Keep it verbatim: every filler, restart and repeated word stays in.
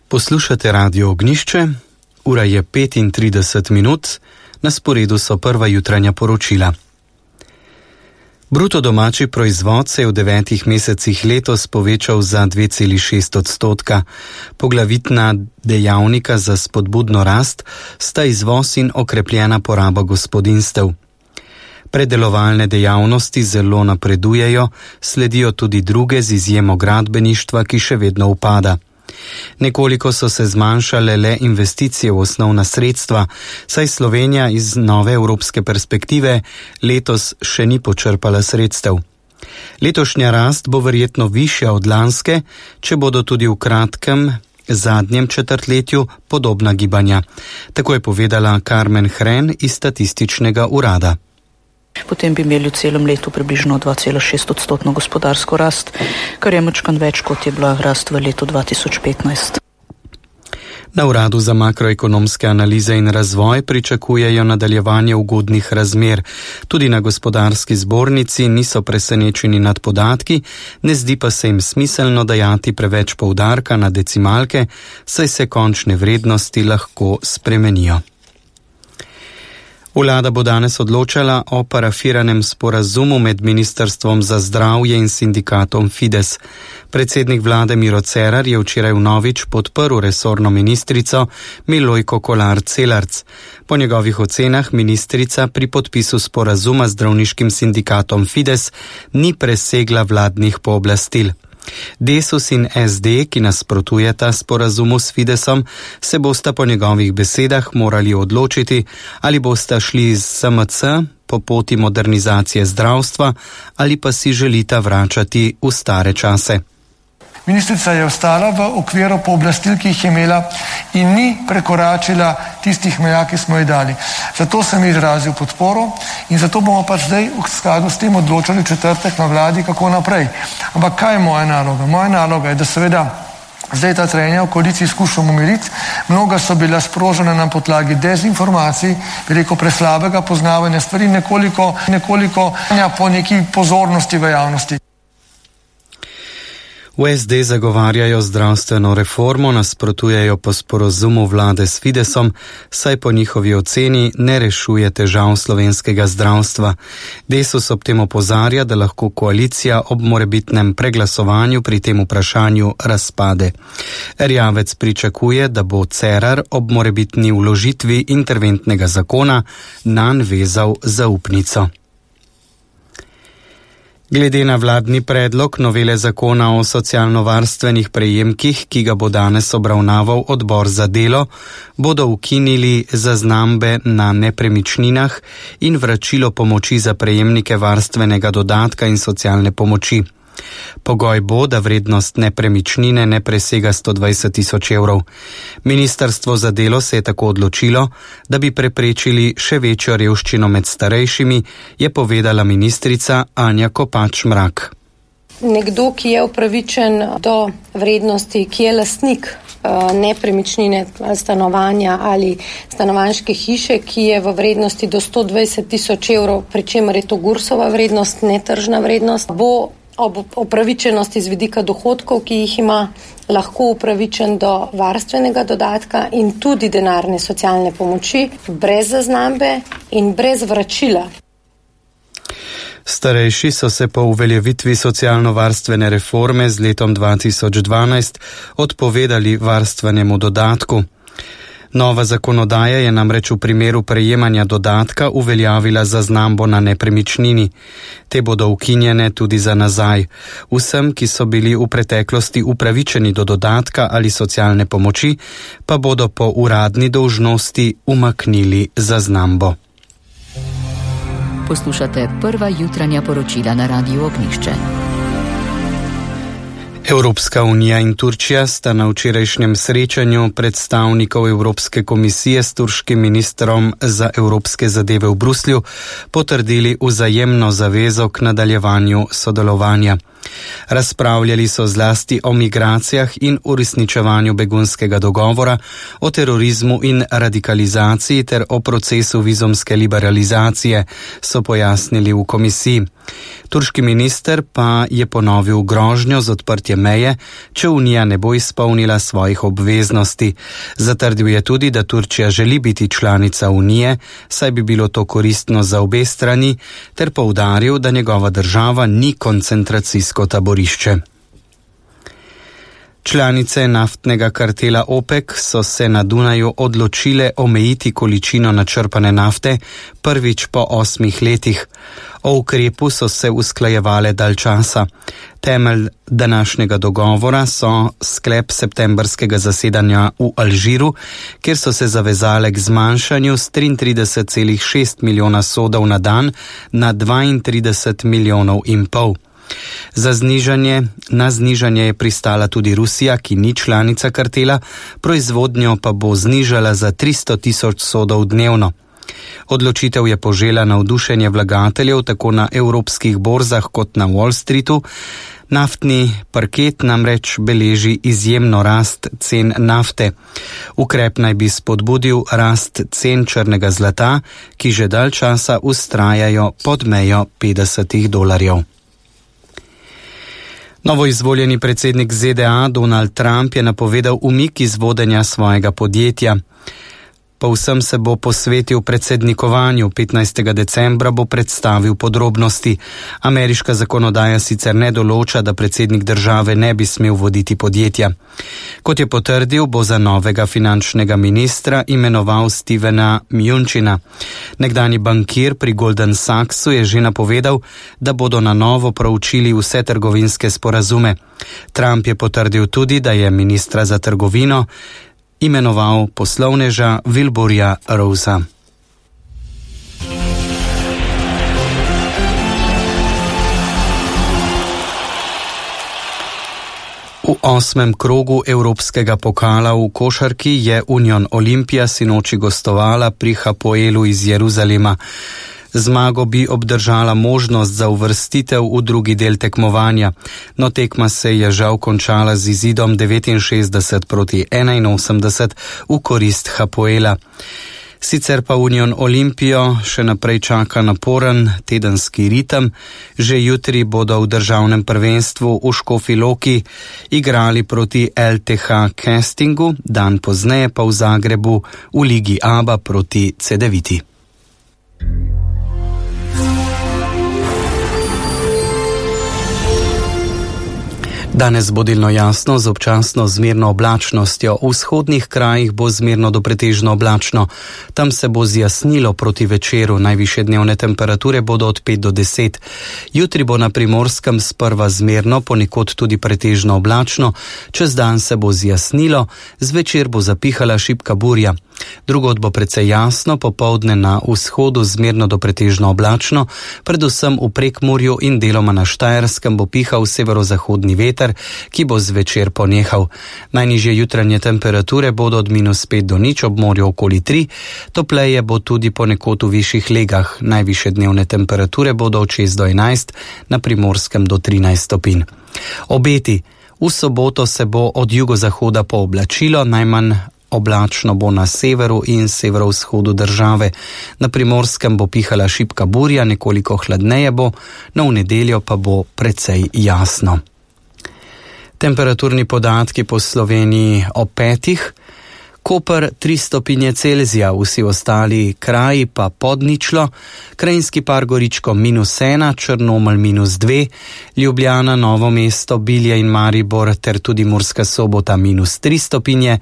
Poslušate Radio Ognjišče, ura je petintrideset minut, na sporedu so prva jutranja poročila. Bruto domači proizvod se je v devetih mesecih letos povečal za dve celi šest odstotka. Poglavitna dejavnika za spodbudno rast sta izvoz in okrepljena poraba gospodinjstev. Predelovalne dejavnosti zelo napredujejo, sledijo tudi druge z izjemo gradbeništva, ki še vedno upada. Nekoliko so se zmanjšale le investicije v osnovna sredstva, saj Slovenija iz nove evropske perspektive letos še ni počrpala sredstev. Letošnja rast bo verjetno višja od lanske, če bodo tudi v kratkem zadnjem četrtletju podobna gibanja. Tako je povedala Karmen Hren iz statističnega urada. Potem bi imeli v celem letu približno dva cela šest odstotno gospodarsko rast, kar je močkan več, kot je bila rast v letu dva tisoč petnajst. Na Uradu za makroekonomske analize in razvoj pričakujejo nadaljevanje ugodnih razmer. Tudi na gospodarski zbornici niso presenečeni nad podatki, ne zdi pa se jim smiselno dajati preveč poudarka na decimalke, saj se končne vrednosti lahko spremenijo. Vlada bo danes odločala o parafiranem sporazumu med Ministrstvom za zdravje in sindikatom Fides. Predsednik vlade Miro Cerar je včeraj vnovič podprl resorno ministrico Milojko Kolar Celarc. Po njegovih ocenah ministrica pri podpisu sporazuma z zdravniškim sindikatom Fides ni presegla vladnih pooblastil. Desus in es de, ki nasprotujeta sporazumu s Fidesom, se bosta po njegovih besedah morali odločiti, ali bosta šli z es em ce po poti modernizacije zdravstva ali pa si želita vračati v stare čase. Ministrica je ostala v okviru pooblastil, ki jih je imela in ni prekoračila tistih meja, ki smo ji dali. Zato sem izrazil podporo in zato bomo pač zdaj v skladu s tem odločali četrtek na vladi, kako naprej. Ampak kaj je moja naloga? Moja naloga je, da seveda zdaj ta trenja v koaliciji skušamo umiriti. Mnoga so bila sprožena na podlagi dezinformacij, veliko preslabega poznavanja stvari, nekoliko, nekoliko po neki pozornosti v javnosti. V es de zagovarjajo zdravstveno reformo, nasprotujejo po sporazumu vlade s Fidesom, saj po njihovi oceni ne rešuje težav slovenskega zdravstva. Desus ob tem opozarja, da lahko koalicija ob morebitnem preglasovanju pri tem vprašanju razpade. Erjavec pričakuje, da bo Cerar ob morebitni vložitvi interventnega zakona nanj vezal zaupnico. Glede na vladni predlog novele zakona o socialno-varstvenih prejemkih, ki ga bo danes obravnaval odbor za delo, bodo ukinili zaznambe na nepremičninah in vračilo pomoči za prejemnike varstvenega dodatka in socialne pomoči. Pogoj bo, da vrednost nepremičnine ne presega sto dvajset tisoč evrov. Ministrstvo za delo se je tako odločilo, da bi preprečili še večjo revščino med starejšimi, je povedala ministrica Anja Kopač Mrak. Nekdo, ki je upravičen do vrednosti, ki je lastnik nepremičnine, stanovanja ali stanovanjske hiše, ki je v vrednosti do sto dvajset tisoč evrov, pri čemer je to Gursova vrednost, netržna vrednost, bo ob upravičenosti z vidika dohodkov, ki jih ima, lahko upravičen do varstvenega dodatka in tudi denarne socialne pomoči, brez zaznambe in brez vračila. Starejši so se po uveljavitvi socialno-varstvene reforme z letom dva tisoč dvanajst odpovedali varstvenemu dodatku. Nova zakonodaja je namreč v primeru prejemanja dodatka uveljavila zaznambo na nepremičnini. Te bodo ukinjene tudi za nazaj. Vsem, ki so bili v preteklosti upravičeni do dodatka ali socialne pomoči, pa bodo po uradni dolžnosti umaknili zaznambo. Poslušate prva jutranja poročila na Radiu Ognjišče. Evropska unija in Turčija sta na včerajšnjem srečanju predstavnikov Evropske komisije s turškim ministrom za evropske zadeve v Bruslju potrdili vzajemno zavezo k nadaljevanju sodelovanja. Razpravljali so zlasti o migracijah in uresničevanju begunskega dogovora, o terorizmu in radikalizaciji ter o procesu vizumske liberalizacije, so pojasnili v komisiji. Turški minister pa je ponovil grožnjo z odprtjem meje, če Unija ne bo izpolnila svojih obveznosti. Zatrdil je tudi, da Turčija želi biti članica Unije, saj bi bilo to koristno za obe strani, ter poudaril, da njegova država ni koncentracijsko taborišče. Članice naftnega kartela OPEC so se na Dunaju odločile omejiti količino načrpane nafte prvič po osmih letih. O ukrepu so se usklajevale dalj časa. Temelj današnjega dogovora so sklep septembrskega zasedanja v Alžiru, kjer so se zavezale k zmanjšanju s triintrideset celih šest milijona sodov na dan na dvaintrideset milijonov in pol. Za znižanje, na znižanje je pristala tudi Rusija, ki ni članica kartela, proizvodnjo pa bo znižala za tristo tisoč sodov dnevno. Odločitev je požela navdušenje vlagateljev tako na evropskih borzah kot na Wall Streetu. Naftni parket namreč beleži izjemno rast cen nafte. Ukrep naj bi spodbudil rast cen črnega zlata, ki že dalj časa vztrajajo pod mejo petdesetih dolarjev. Novoizvoljeni predsednik Z D A Donald Trump je napovedal umik iz vodenja svojega podjetja. Povsem se bo posvetil predsednikovanju, petnajstega decembra bo predstavil podrobnosti. Ameriška zakonodaja sicer ne določa, da predsednik države ne bi smel voditi podjetja. Kot je potrdil, bo za novega finančnega ministra imenoval Stevena Mnuchina. Nekdanji bankir pri Golden Sachsu je že napovedal, da bodo na novo proučili vse trgovinske sporazume. Trump je potrdil tudi, da je ministra za trgovino imenoval poslovneža Wilburja Rosea. V osmem krogu evropskega pokala v košarki je Union Olimpija sinoči gostovala pri Hapoelu iz Jeruzalema. Zmago bi obdržala možnost za uvrstitev v drugi del tekmovanja, no tekma se je žal končala z izidom devetinšestdeset proti enainosemdeset v korist Hapoela. Sicer pa Union Olimpijo še naprej čaka naporen tedenski ritem. Že jutri bodo v državnem prvenstvu v Škofji Loki igrali proti L T H Castingu, dan pozneje pa v Zagrebu v Ligi Aba proti Cedeviti. Danes bo delno jasno z občasno zmerno oblačnostjo. V vzhodnih krajih bo zmerno do pretežno oblačno. Tam se bo zjasnilo proti večeru. Najvišje dnevne temperature bodo od pet do deset. Jutri bo na Primorskem sprva zmerno, ponekod tudi pretežno oblačno. Čez dan se bo zjasnilo, zvečer bo zapihala šibka burja. Drugod bo precej jasno, popoldne na vzhodu zmerno do pretežno oblačno, predvsem v Prekmurju in deloma na Štajerskem bo pihal severozahodni veter, ki bo zvečer ponehal. Najnižje jutranje temperature bodo od minus pet do nič, ob morju okoli tri, topleje bo tudi ponekod v višjih legah. Najvišje dnevne temperature bodo od šest do enajst, na Primorskem do trinajst stopinj. Obeti. V soboto se bo od jugozahoda pooblačilo, najmanj oblačno bo na severu in severovzhodu države. Na Primorskem bo pihala šibka burja, nekoliko hladneje bo, no v nedeljo pa bo precej jasno. Temperaturni podatki po Sloveniji ob petih. Koper tri stopinje Celzija, vsi ostali kraji pa pod ničlo, Krajinski par Goričko minus ena, Črnomelj minus dve, Ljubljana, Novo mesto, Bilje in Maribor ter tudi Murska Sobota minus tri stopinje,